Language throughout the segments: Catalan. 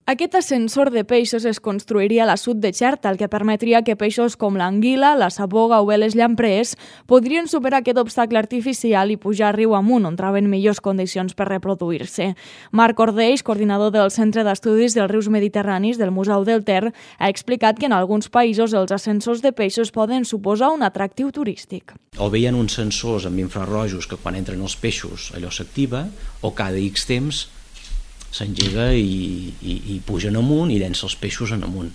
Aquest ascensor de peixos es construiria a l'assut de Xerta, el que permetria que peixos com l'anguila, la saboga o bé les llamprees podrien superar aquest obstacle artificial i pujar riu amunt, on troben millors condicions per reproduir-se. Marc Ordeix, coordinador del Centre d'Estudis dels Rius Mediterranis del Museu del Ter, ha explicat que en alguns països els ascensors de peixos poden suposar un atractiu turístic. O bé hi ha uns sensors amb infrarrojos que quan entren els peixos allò s'activa, o cada X temps s'engega i pugen amunt i llença els peixos en amunt.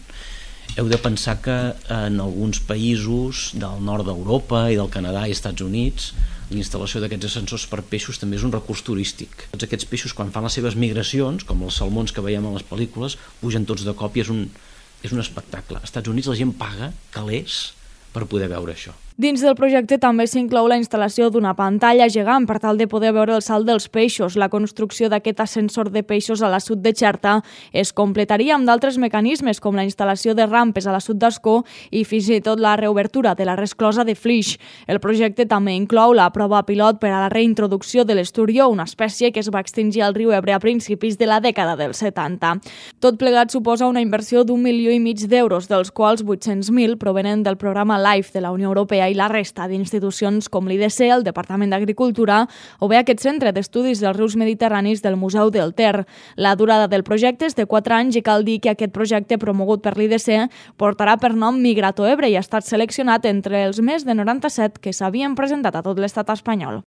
Heu de pensar que en alguns països del nord d'Europa i del Canadà i Estats Units la instal·lació d'aquests ascensors per peixos també és un recurs turístic. Tots aquests peixos, quan fan les seves migracions, com els salmons que veiem a les pel·lícules, pugen tots de cop i és un espectacle. Als Estats Units la gent paga calés per poder veure això. Dins del projecte també s'inclou la instal·lació d'una pantalla gegant per tal de poder veure el salt dels peixos. La construcció d'aquest ascensor de peixos a l'assut de Xerta es completaria amb d'altres mecanismes com la instal·lació de rampes a l'assut d'Ascó i fins i tot la reobertura de la resclosa de Flix. El projecte també inclou la prova pilot per a la reintroducció de l'esturió, una espècie que es va extingir al riu Ebre a principis de la dècada dels 70. Tot plegat suposa una inversió d'1,5 milió d'euros, dels quals 800.000 provenen del programa LIFE de la Unió Europea i la resta d'institucions com l'IDC, el Departament d'Agricultura o bé aquest Centre d'Estudis dels Rius Mediterranis del Museu del Ter. La durada del projecte és de 4 anys i cal dir que aquest projecte promogut per l'IDC portarà per nom Migrato Ebre i ha estat seleccionat entre els més de 97 que s'havien presentat a tot l'estat espanyol.